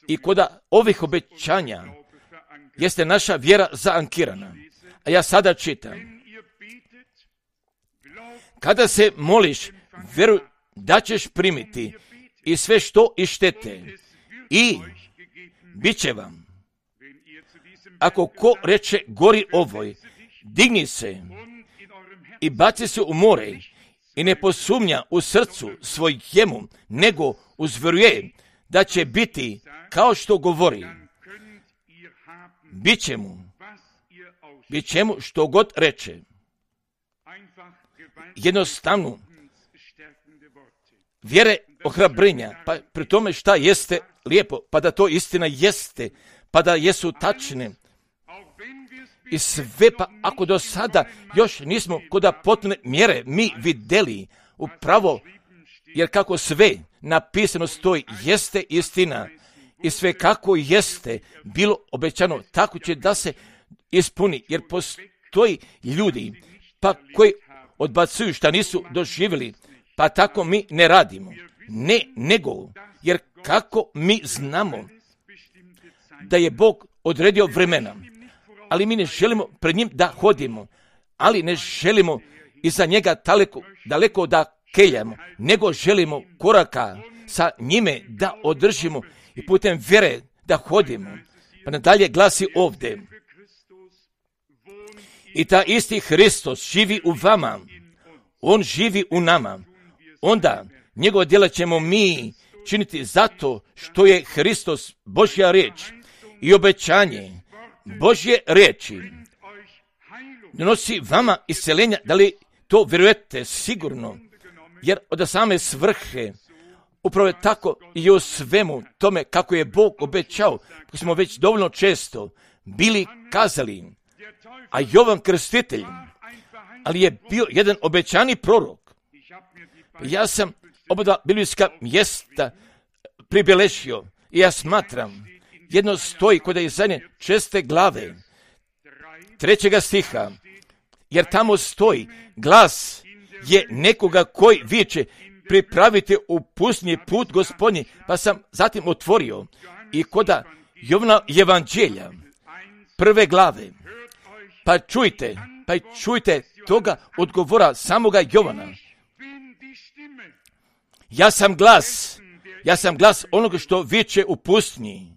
S1: I kod ovih obećanja jeste naša vjera zaankirana. A ja sada čitam. Kada se moliš, vjeruj da ćeš primiti i sve što ištete i bit će vam. Ako ko reče gori ovoj, digni se i baci se u more i ne posumnja u srcu svojemu, nego uzvjeruje da će biti kao što govori. Bit će mu što god reče. Jednostavno, vjere ohrabrenja, pa pri tome šta jeste lijepo, pa da to istina jeste, pa da jesu tačne. I sve, pa ako do sada još nismo kod potpune mjere mi vidjeli upravo, jer kako sve napisano stoji, jeste istina i sve kako jeste bilo obećano, tako će da se ispuni, jer postoji ljudi pa koji odbacuju šta nisu doživjeli, pa tako mi ne radimo. Ne, nego, jer kako mi znamo da je Bog odredio vremena, ali mi ne želimo pred njim da hodimo, ali ne želimo iza njega daleko da keljamo, nego želimo koraka sa njime da održimo i putem vjere da hodimo. Pa nadalje glasi ovdje. I ta isti Hristos živi u vama, on živi u nama. Onda njegova djela ćemo mi činiti zato što je Hristos Božja riječ i obećanje Božje riječi donosi vama isceljenja. Da li to vjerujete sigurno? Jer od same svrhe upravo je tako i o svemu tome kako je Bog obećao, kako smo već dovoljno često bili kazali. A Jovan Krstitelj, ali je bio jedan obećani prorok. Ja sam oba biblijska mjesta pribeležio i ja smatram, jedno stoji kod Izaije 6. glave 3. stiha, jer tamo stoji glas je nekoga koji viče pripravite u pustinji put Gospodnji, pa sam zatim otvorio i kod Jovana evanđelja 1. glave, pa čujte Pa i čujte toga odgovora samoga Jovana. Ja sam glas onoga što viče u pustinji.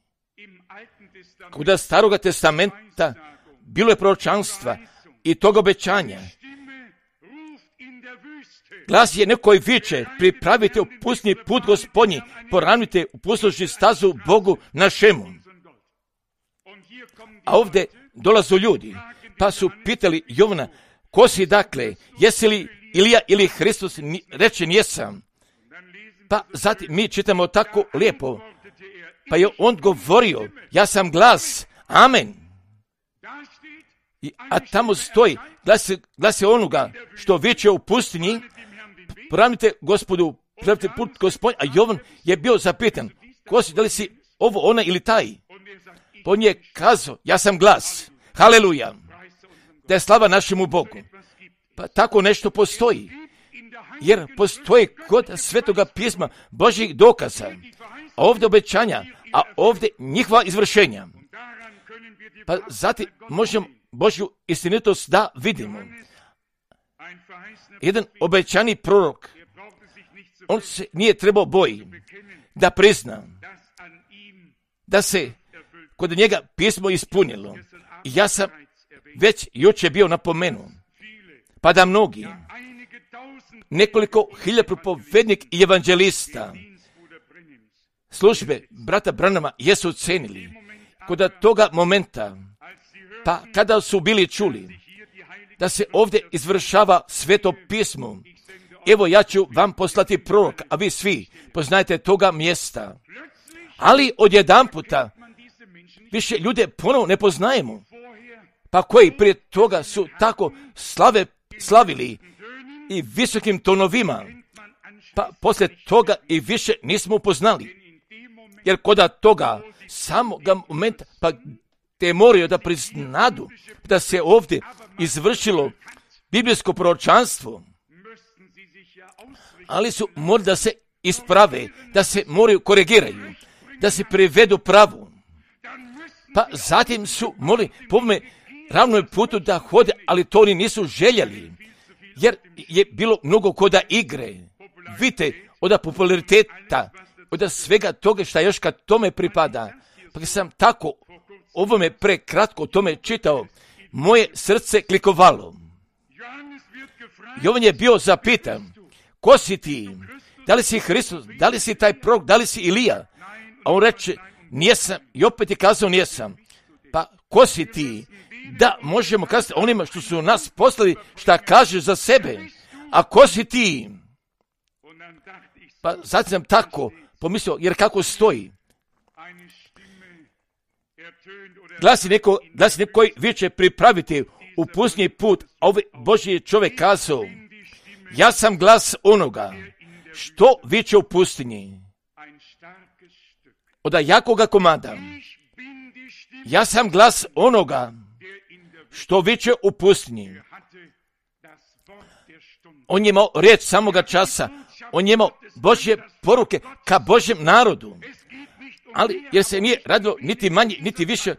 S1: Kod Staroga testamenta bilo je proročanstva i toga obećanja. Glas je neko koji viče, pripravite u pustinji put Gospodnji, poravnajte u pustoši stazu Bogu našemu. A ovdje dolazu ljudi, pa su pitali Jovana, ko si dakle, jesi li Ilija ili Hristos? Reče, jesam. Pa zatim mi čitamo tako lijepo, pa je on govorio, ja sam glas, amen. A tamo stoji, glas je onoga što viče u pustinji, poravnajte Gospodu, pripravite put Gospodnji, a Jovan je bio zapitan, ko si, da li si ovo, ona ili taj? Pa on je kazao, ja sam glas, haleluja, da je slava našemu Bogu. Pa tako nešto postoji, jer postoji kod Svetoga pisma Božjih dokaza, a ovdje obećanja, a ovdje njihova izvršenja. Pa zatim možemo Božju istinitost da vidimo. Jedan obećani prorok, on se nije trebao boji da prizna da se kod njega pismo ispunilo. I ja sam već jučer bio napomenuo, pa da mnogi, nekoliko hiljada propovednik i evanđelista službe brata Branhama jesu cenili kod toga momenta, pa kada su bili čuli da se ovdje izvršava sveto pismo, evo ja ću vam poslati prorok, a vi svi poznajete toga mjesta. Ali odjedanputa više ljude ponovo ne poznajemo, pa koji prije toga su tako slavili i visokim tonovima, pa poslije toga i više nismo upoznali. Jer kod toga samoga momenta, pa te moraju da priznadu da se ovdje izvršilo biblijsko proročanstvo, ali su morali da se isprave, da se moraju korigiraju, da se privedu pravu. Pa zatim su morali po ovome ravnom putu da hode, ali to oni nisu željeli, jer je bilo mnogo koda igre. Vidite, od populariteta, od svega toga šta još kad tome pripada. Pa sam tako ovome prekratko tome čitao, moje srce klikovalo. Jovan je bio zapitan, ko si ti? Da li si Hristos? Da li si taj prorok? Da li si Ilija? A on reče, nijesam. I opet je kazao, nijesam. Pa ko si ti? Da možemo kazati onima što su nas poslali, šta kažeš za sebe. A ko si ti? Pa sad sam tako pomislio, jer kako stoji. Glasi neko koji viče pripraviti u pustinji put, a ovaj Božji čovjek kazao, ja sam glas onoga što viče u pustinji. Od jakoga komada. Ja sam glas onoga što viče u pustinji. On je imao riječ samoga časa. On je imao Božje poruke ka Božjem narodu. Ali jer se nije radilo niti manje, niti više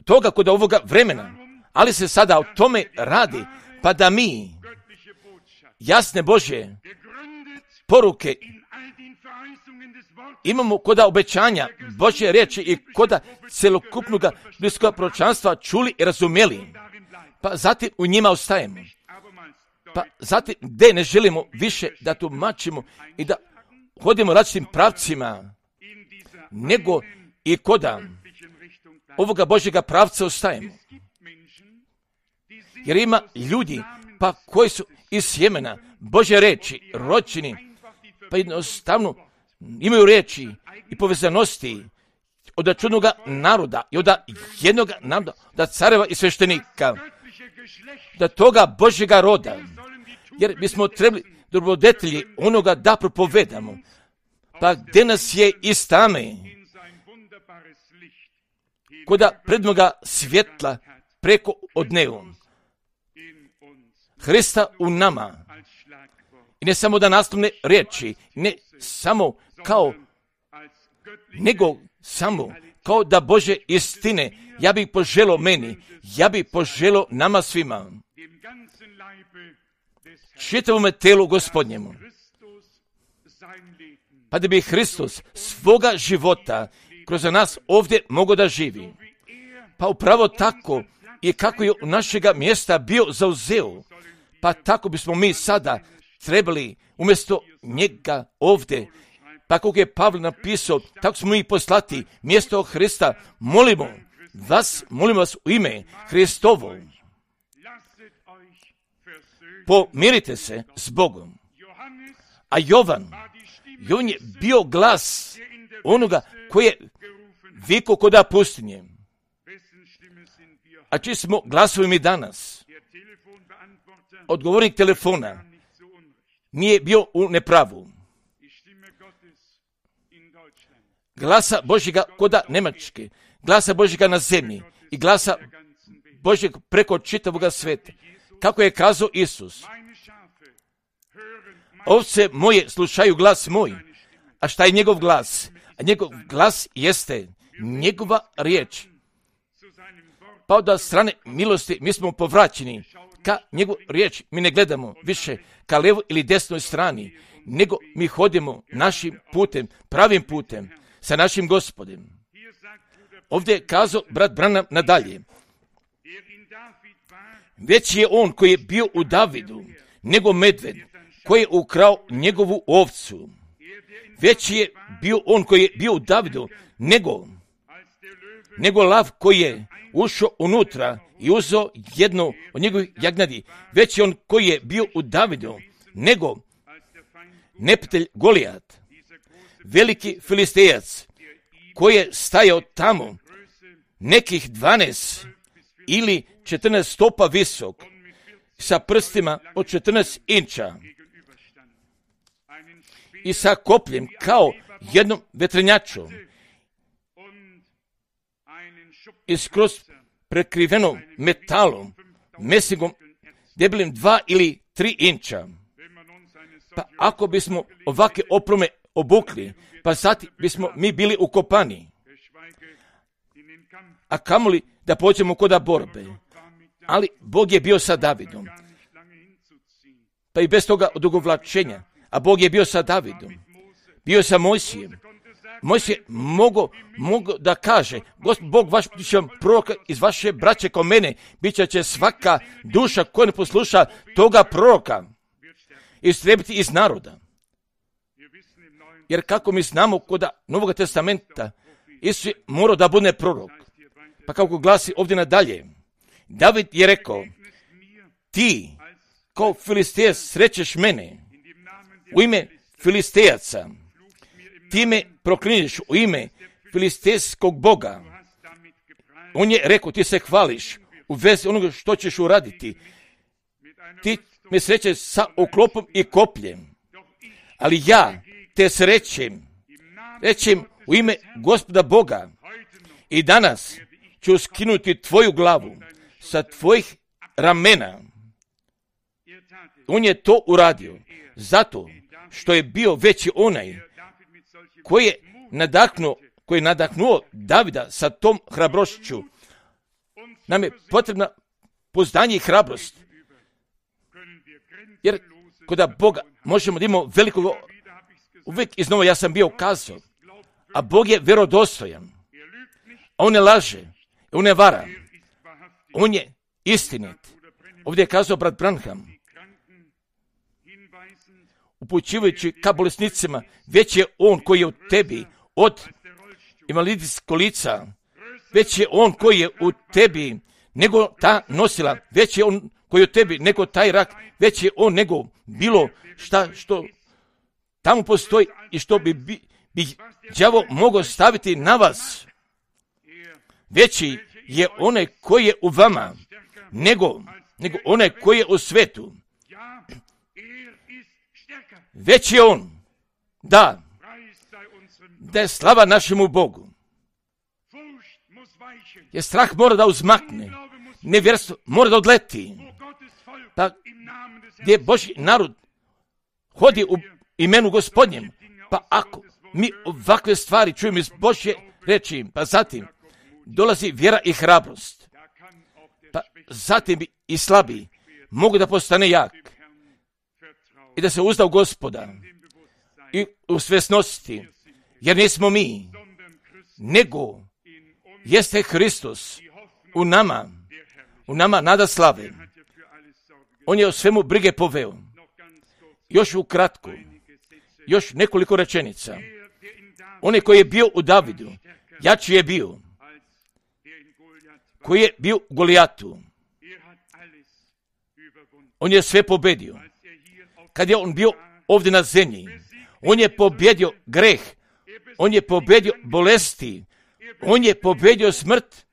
S1: toga kod ovoga vremena. Ali se sada o tome radi, pa da mi jasne Božje poruke imamo kod obećanja Božje riječi i kod celokupnog biblijskog proročanstva čuli i razumjeli. Pa zatim u njima ostajemo. Pa zatim gdje ne želimo više da tumačimo i da hodimo različitim pravcima, nego i kod ovoga Božjega pravca ostajemo. Jer ima ljudi pa koji su iz sjemena Božje reči, rođeni, pa jednostavno imaju riječi i povezanosti od čudnog naroda i od jednog naroda, da careva i sveštenika, da toga Božjega roda, jer bismo trebali dobrodetelji onoga da propovedamo. Pa gdje nas je iz tame, koda prednoga svjetla preko od nebu, Hrista u nama. I ne samo da naslovne riječi, ne samo kao, nego samo kao da Bože istine, ja bih poželio meni, ja bih poželio nama svima. čitavome telu Gospodnjemu. Pa da bi Hristos svoga života kroz nas ovdje mogao da živi. Pa upravo tako i kako je našega mjesta bio zauzeo, pa tako bismo mi sada trebali umjesto njega ovdje, pa kako je Pavle napisao, tako smo mi poslati mjesto Hrista. Molimo vas u ime Hristovo, pomirite se s Bogom. A Jovan je bio glas onoga koji je vikao koda pustinje. A čiji smo glasovi mi danas? Odgovornik telefona nije bio u nepravu. Glasa Božjega koda Njemačke, glasa Božjega na zemlji i glasa Božjeg preko čitavoga sveta. Kako je kazao Isus, ovce moje slušaju glas moj. A šta je njegov glas? A njegov glas jeste njegova riječ. Pa od strane milosti mi smo povraćeni ka njegovu riječ. Mi ne gledamo više ka levo ili desnoj strani, nego mi hodimo našim putem, pravim putem, sa našim Gospodem. Ovdje je kazao brat Branham nadalje. Već je on koji je bio u Davidu, nego medved, koji je ukrao njegovu ovcu. Već je bio on koji je bio u Davidu, nego lav koji je ušao unutra i uzeo jednu od njegovih jagnjadi. Već je on koji je bio u Davidu, nego neprijatelj Golijat, veliki Filistejac, koji je stajao tamo nekih 12 ili 14 stopa visok, sa prstima od 14 inča i sa kopljem kao jednom vetrenjačom i skroz prekriveno metalom, mesingom debelim 2 ili 3 inča. Pa ako bismo ovakve oprome obukli, pa sad bismo mi bili ukopani. A kamoli da pođemo koda borbe. Ali Bog je bio sa Davidom. Pa i bez toga odugovlačenja. A Bog je bio sa Davidom. Bio sa Mojsijem. Mojsije mogo da kaže, Bog vaš će vam proroka iz vaše braće ko mene, bit će svaka duša koja ne posluša toga proroka istrebiti iz naroda. Jer kako mi znamo koda Novog testamenta, Isus je morao da bude prorok. Pa kako glasi ovdje nadalje, David je rekao, ti kao Filistejac srećeš mene u ime Filistejaca, ti me proklinješ u ime filistejskog Boga. On je rekao, ti se hvališ u vezi onoga što ćeš uraditi. Ti me srećeš sa oklopom i kopljem. Ali ja te srećem u ime Gospoda Boga. I danas ću skinuti tvoju glavu sa tvojih ramena. On je to uradio zato što je bio veći onaj koji je nadahnuo Davida sa tom hrabrošću. Nam je potrebna pouzdanje i hrabrost. Jer kod Boga možemo da imamo veliko, uvijek iznova ja sam bio kazao, a Bog je vjerodostojan. On ne laže, on ne vara, on je istinit. Ovdje je kazao brat Branham, upućivajući ka bolesnicima, već je on koji je u tebi od invalidskog lica, već je on koji je u tebi nego ta nosila, već je on koji je u tebi nego taj rak, već je on nego bilo šta što tamo postoji i što bi đavo mogao staviti na vas. Veći je onaj koji je u vama nego onaj koji je u svetu. Već je on, da je slava našemu Bogu. Jer strah mora da uzmakne, nevjerstvo mora da odleti. Pa gdje Božji narod hodi u imenu Gospodnjem, pa ako mi ovakve stvari čujemo iz Božje reči, pa zatim dolazi vjera i hrabrost, pa zatim i slabi mogu da postane jak i da se uzda u Gospoda i u svjesnosti, jer nismo mi, nego jeste Hristos u nama nada slave. On je o svemu brige poveo. Još ukratko, još nekoliko rečenica. On koji je bio u Davidu, jači je bio, koji je bio u Golijatu. On je sve pobedio. Kad je on bio ovdje na zemlji, on je pobjedio greh, on je pobjedio bolesti, on je pobjedio smrt,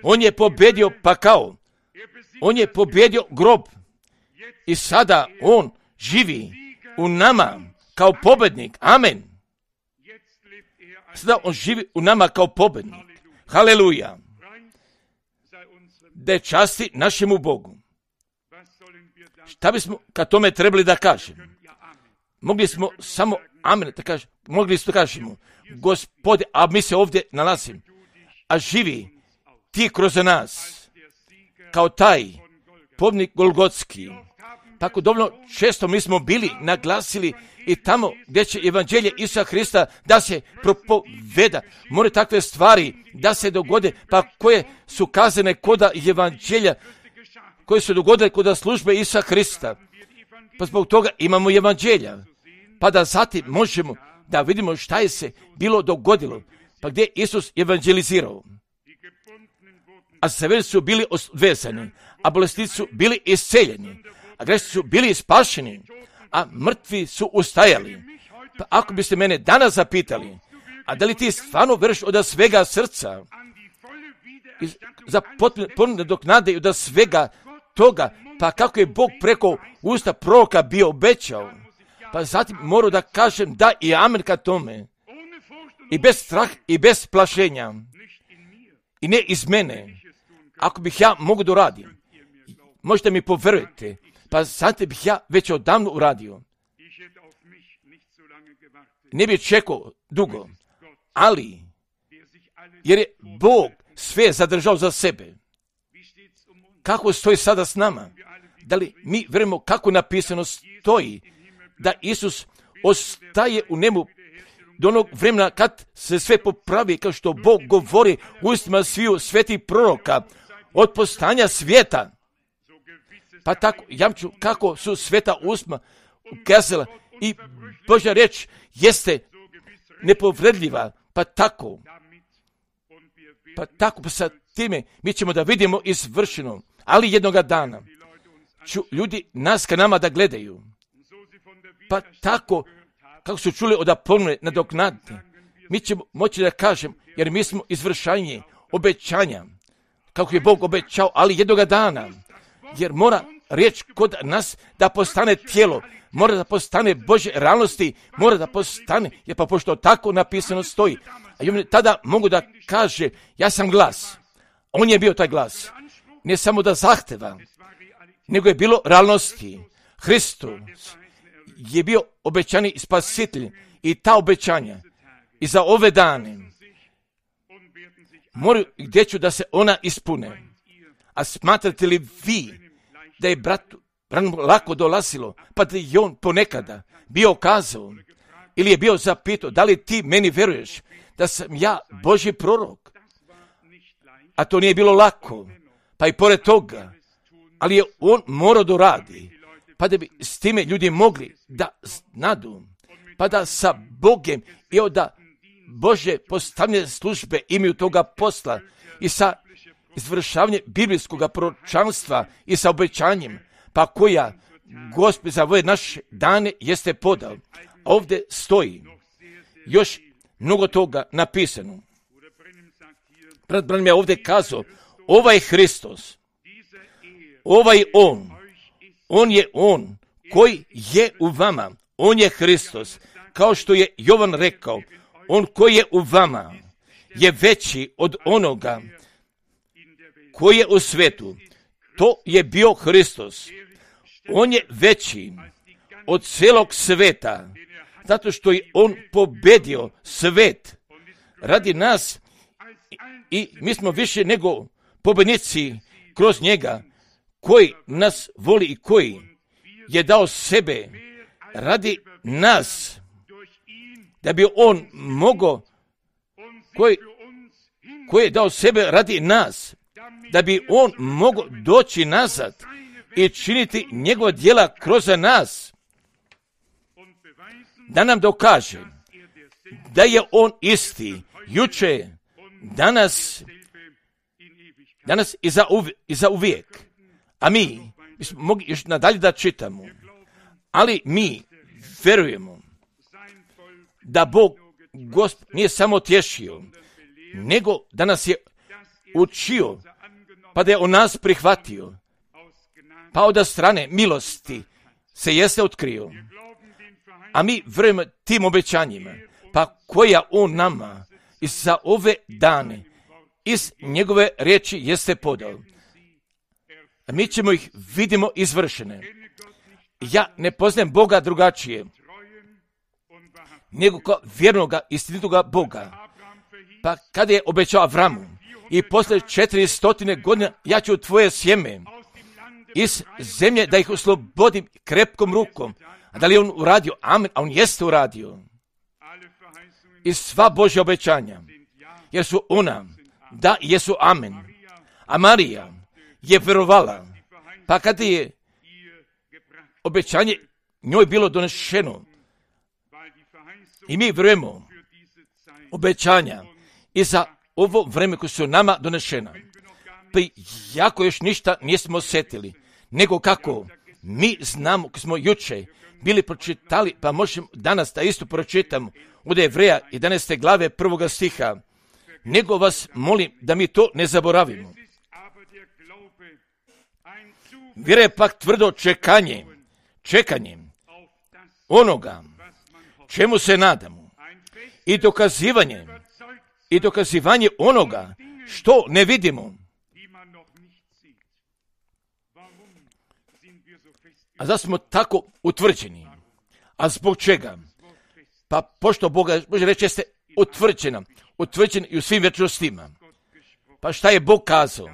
S1: on je pobjedio pakao, on je pobjedio grob. I sada on živi u nama kao pobjednik. Amen. Sada on živi u nama kao pobjednik. Haleluja. Da je časti našemu Bogu. Šta bismo kad tome trebali da kažemo? Mogli smo samo amen da kažemo. Mogli smo da kažemo, Gospode, a mi se ovdje nalazimo, a živi ti kroz nas, kao taj pobjednik Golgotski. Tako dovoljno često mi smo bili naglasili i tamo gdje će evanđelje Isusa Hrista da se propoveda. More takve stvari da se dogode, pa koje su kazane koda evanđelja, koje su dogodile koda službe Isusa Hrista. Pa zbog toga imamo evanđelja. Pa da zatim možemo da vidimo šta je se bilo dogodilo. Pa gdje Isus evanđelizirao. A zaveli su bili odvezani, a bolesnici su bili isceljeni, a grešnici su bili spašeni, a mrtvi su ustajali. Pa ako biste mene danas zapitali, a da li ti stvarno veruješ od svega srca za potpuno nadoknade i od svega toga, pa kako je Bog preko usta proroka bio obećao, pa zatim moram da kažem da i amen ka tome, i bez strah i bez plašenja, i ne iz mene. Ako bih ja mogu da uradim, možete mi poverujete, pa zatim bih ja već odavno uradio. Ne bih čekao dugo, ali jer je Bog sve zadržao za sebe. Kako stoji sada s nama? Da li mi verujemo kako napisano stoji da Isus ostaje u nebu do onog vremena kad se sve popravi, kao što Bog govori u ustima sviju svetih proroka od postanja svijeta. Pa tako jamču kako su sveta usma ukazala i Božja reč jeste nepovredljiva. Pa tako pa sa time mi ćemo da vidimo izvršeno. Ali jednoga dana ću ljudi nas ka nama da gledaju. Pa tako kako su čuli od Apolone nadoknaditi, mi ćemo moći da kažem, jer mi smo izvršanje obećanja, kako je Bog obećao, ali jednoga dana, jer mora riječ kod nas da postane tijelo, mora da postane Božje realnosti, mora da postane, jer pa pošto tako napisano stoji. A on tada mogu da kaže, ja sam glas. On je bio taj glas. Ne samo da zahteva, nego je bilo realnosti. Hristos je bio obećani spasitelj i ta obećanja i za ove dane moraju gdje ću da se ona ispune. A smatrate li vi da je bratu lako dolazilo, pa da je on ponekada bio kazao ili je bio zapitao, da li ti meni veruješ da sam ja Božji prorok? A to nije bilo lako, pa i pored toga, ali je on morao da radi, pa da bi s time ljudi mogli da znadu, pa da sa Bogem i da Božje postavljene službe imaju toga posla i sa izvršavanje biblijskog proročanstva i sa obećanjem, pa koja Gospod za ove naše dane jeste podao. Ovdje stoji još mnogo toga napisano. Brat Branham je ovdje kazao, ovaj Hristos, ovaj on je on koji je u vama, on je Hristos, kao što je Jovan rekao, on koji je u vama je veći od onoga koji je u svetu. To je bio Hristos. On je veći od cijelog sveta, zato što je on pobedio svet radi nas i mi smo više nego pobednici kroz njega koji nas voli i koji je dao sebe radi nas, da bi on mogao, koji je dao sebe radi nas, da bi on mogao doći nazad i činiti njegova djela kroz nas, da nam dokaže da je on isti, juče, danas i za uvijek. A mi smo mogli još nadalje da čitamo, ali mi vjerujemo da Bog Gospod nije samo tješio, nego da nas je učio, pa da je on nas prihvatio, pa od strane milosti se jeste otkrio. A mi vjerujemo tim obećanjima, pa koja on nama i za ove dane iz njegove riječi jeste podao. A mi ćemo ih vidimo izvršene. Ja ne poznajem Boga drugačije, nego kao vjernoga, istinitoga Boga. Pa kada je obećao Avramu i posle 400 godina ja ću tvoje sjeme iz zemlje da ih oslobodim krepkom rukom. A da li je on uradio? Amen. A on jeste uradio. I sva Božja obećanja, jer su ona, da, jesu amen. A Marija je vjerovala, pa kada je obećanje njoj bilo donešeno, i mi vjerujemo obećanja i za ovo vreme koje su nama donešena. Pa jako još ništa nismo osjetili, nego kako mi znamo, kako smo juče bili pročitali, pa možemo danas da isto pročitamo od Jevreja 11. glave 1. stiha. Nego vas molim da mi to ne zaboravimo. Vjera je pak tvrdo čekanje onoga čemu se nadamo i dokazivanje onoga što ne vidimo. A zašto smo tako utvrđeni? A zbog čega? Pa pošto Boga, može reći, jeste utvrđeni i u svim vječnostima. Pa šta je Bog kazao?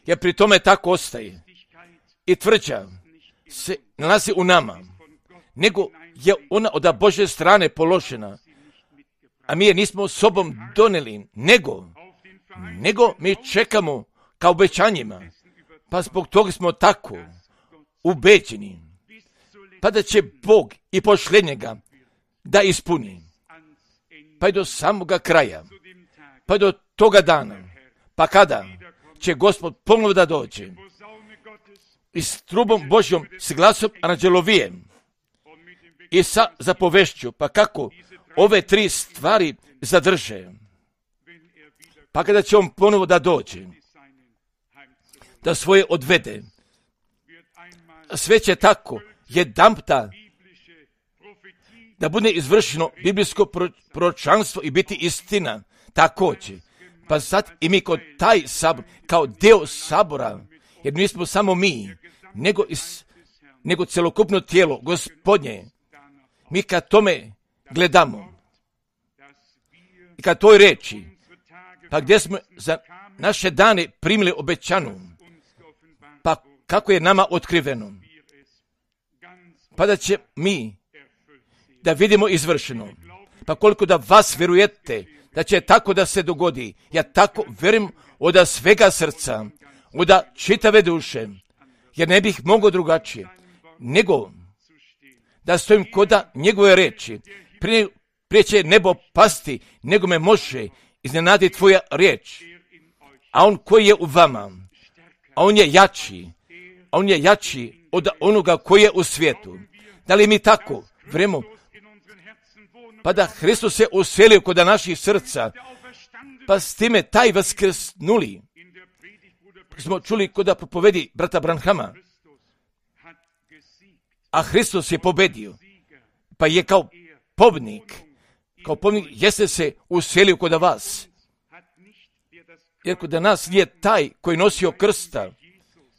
S1: Jer pri tome tako ostaje. I tvrđa se nalazi u nama, nego je ona od Božje strane položena, a mi je nismo sobom donijeli, nego mi čekamo kao obećanjima, pa zbog toga smo tako ubeđeni, pa da će Bog i posljednjega da ispuni, pa i do samoga kraja, pa do toga dana, pa kada će Gospod ponovo da dođe i s trubom Božjom, s glasom anđelovijem i sa zapovešću, pa kako ove tri stvari zadrže, pa kada će on ponovo da dođe, da svoje odvede, sve će tako jedanputa da bude izvršeno biblijsko proročanstvo i biti istina također. Pa sad i mi kod taj sabor, kao dio sabora, jer nismo samo mi, nego celokupno tijelo Gospodnje, mi kad tome gledamo i kad toj reči, pa gdje smo za naše dane primili obećanu, pa kako je nama otkriveno, pa da će mi da vidimo izvršeno, pa koliko da vas vjerujete da će tako da se dogodi, ja tako vjerujem od svega srca, od čitave duše, jer ne bih mogao drugačije, nego da stojim koda njegove reči, prije će nebo pasti, nego me može iznenaditi tvoja riječ, a on koji je u vama, a on je jači od onoga koji je u svijetu. Da li mi tako vremo, pa da Hristos se uselio kod naših srca, pa s time taj vaskrsnuli, smo čuli kod propovedi brata Branhama, a Hristos je pobedio, pa je kao pobjednik jeste se uselio kod vas, jer kod nas nije taj koji nosio krsta,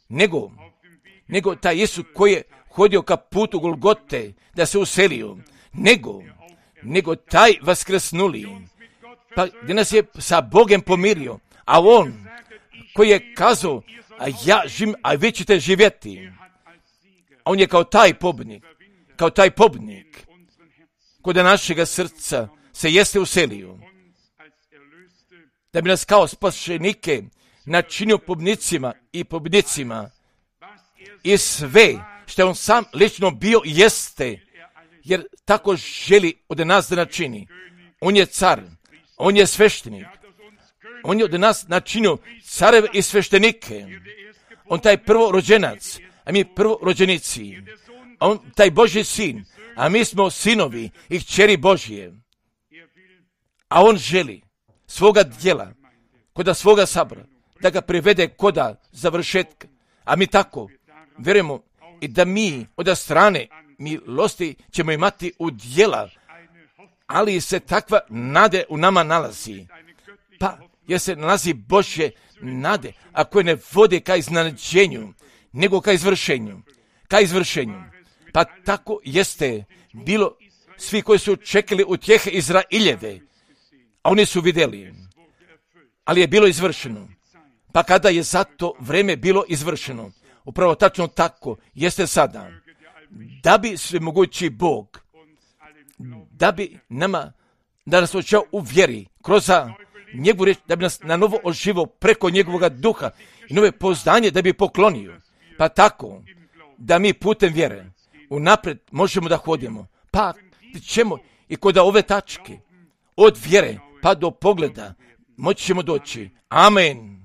S1: nego taj Isus koji je hodio ka putu Golgote da se uselio, nego taj vaskrsnuli, pa gdje nas je sa Bogem pomirio, a on koji je kazao, a ja živim, a vi ćete živjeti. A on je kao taj pobjednik, kod našega srca se jeste uselio, da bi nas kao spašenike načinio pobjednicima i pobjednicima. I sve što on sam lično bio jeste, jer tako želi od nas da načini. On je car, on je sveštenik, on je od nas načinio careve i sveštenike. On taj prvorođenac, a mi prvorođenici. On taj Božji sin, a mi smo sinovi i kćeri Božje. A on želi svoga djela, koda svoga sabora, da ga privede koda završetka. A mi tako vjerujemo i da mi od strane milosti ćemo imati u djela, ali se takva nade u nama nalazi. Pa, jer se nalazi Božje nade, a koje ne vode ka iznenađenju, nego ka izvršenju. Pa tako jeste bilo svi koji su čekali utjehe Izraeljeve, a oni su vidjeli, ali je bilo izvršeno. Pa kada je za to vreme bilo izvršeno, upravo tačno tako jeste sada, da bi svemogući Bog, da bi da nas očeo u vjeri, kroz njegovu riječ, da bi nas na novo oživo preko njegovoga duha i nove pouzdanje da bi poklonio. Pa tako, da mi putem vjere unaprijed možemo da hodimo. Pa ćemo i kod ove tačke, od vjere pa do pogleda, moći ćemo doći. Amen.